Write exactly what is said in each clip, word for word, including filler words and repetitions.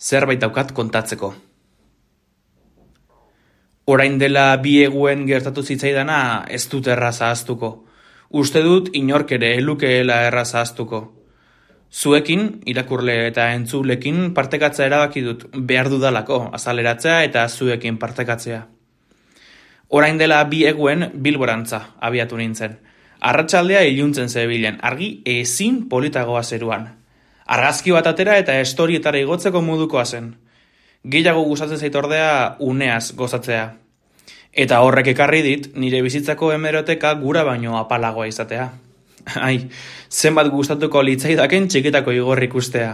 zerbait daukat kontatzeko. Orain dela bi eguen gertatu zitzaidana ez dut erraz ahaztuko. Uste dut inork ere elukeela erraz ahaztuko. Zuekin, irakurle eta entzulekin partekatza erabaki dut behar dudalako azaleratzea eta zuekin partekatzea. Orain dela bi eguen Bilborantza abiatu nintzen. Arratsaldea iluntzen zebilen, argi ezin politagoa zeruan. Argazki bat atera eta estorietara igotzeko modukoa zen. Gehiago gustatzen zait ordea uneaz gozatzea. Eta horrek ekarri dit nire bizitzako hemeroteka gura baino apalagoa izatea. Ai, zenbat gustatuko litzaidaken txikitako igorri ikustea.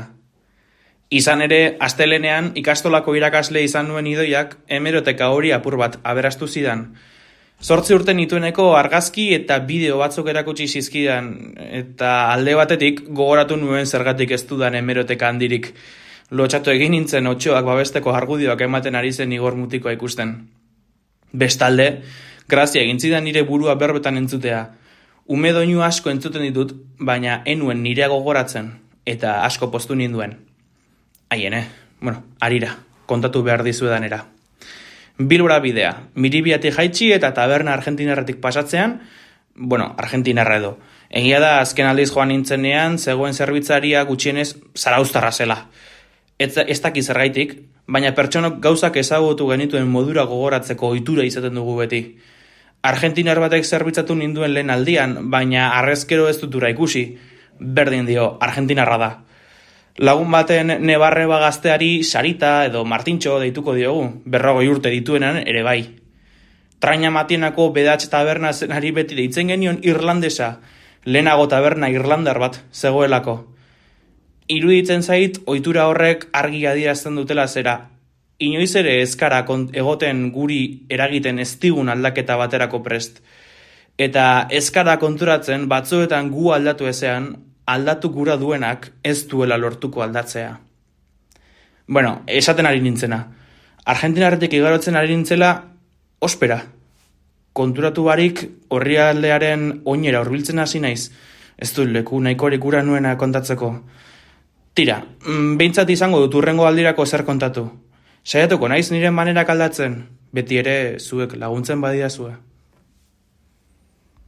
Izan ere, astelenean ikastolako irakasle izan nuen idoiak hemeroteka hori apur bat aberastu zidan. Zortzi urte nitueneko argazki eta bideo batzuk erakutsi zizkidan, eta alde batetik gogoratu nuen zergatik ez dudan hemeroteka handirik. Lotxatu egin nintzen otxoak babesteko argudioak ematen ari zen igor mutikoa ikusten. Bestalde, grazia egin zidan nire burua berbetan entzutea. Ume doinu asko entzuten ditut, baina enuen nirea gogoratzen, eta asko poztu ninduen. Haiene, bueno, arira, kontatu behar dizuedanera. Bilbora bidea, Miribiatik jaitsi eta taberna argentinarretik pasatzean, bueno, argentinarra edo. Egia da, azken aldiz joan nintzenean, zegoen zerbitzaria gutxienez zarauztarra zela. Ez, ez dakiz zergaitik, baina pertsonok gauzak ezagutu genituen modura gogoratzeko ohitura izaten dugu beti. Argentinar batek zerbitzatu ninduen lehen aldian, baina arrezkero ez dutura ikusi. Berdin dio, argentinarra da. Lagun baten nebarreba gazteari Sarita edo Martintxo deituko diogu, berrogoi urte dituenan ere bai. Traina Matienako bedatx taberna zenari beti deitzen genion irlandesa, lehenago taberna irlandar bat zegoelako. Iruditzen zait, ohitura horrek argi adierazten dutela zera. Inoiz ere ezkara egoten guri eragiten ez digun aldaketa baterako prest. Eta ezkara konturatzen batzuetan gu aldatu ezean, aldatu gura duenak ez duela lortuko aldatzea. Bueno, esaten ari nintzena. Argentinarretik igarotzen ari nintzela, ospera. Konturatu barik horri aldearen oinera hurbiltzen hasi naiz. Ez du leku nahikorik gura nuena kontatzeko. Tira, behintzat izango dut urrengo aldirako zer kontatu. Saiatuko naiz nire manerak aldatzen, beti ere zuek laguntzen badidazue.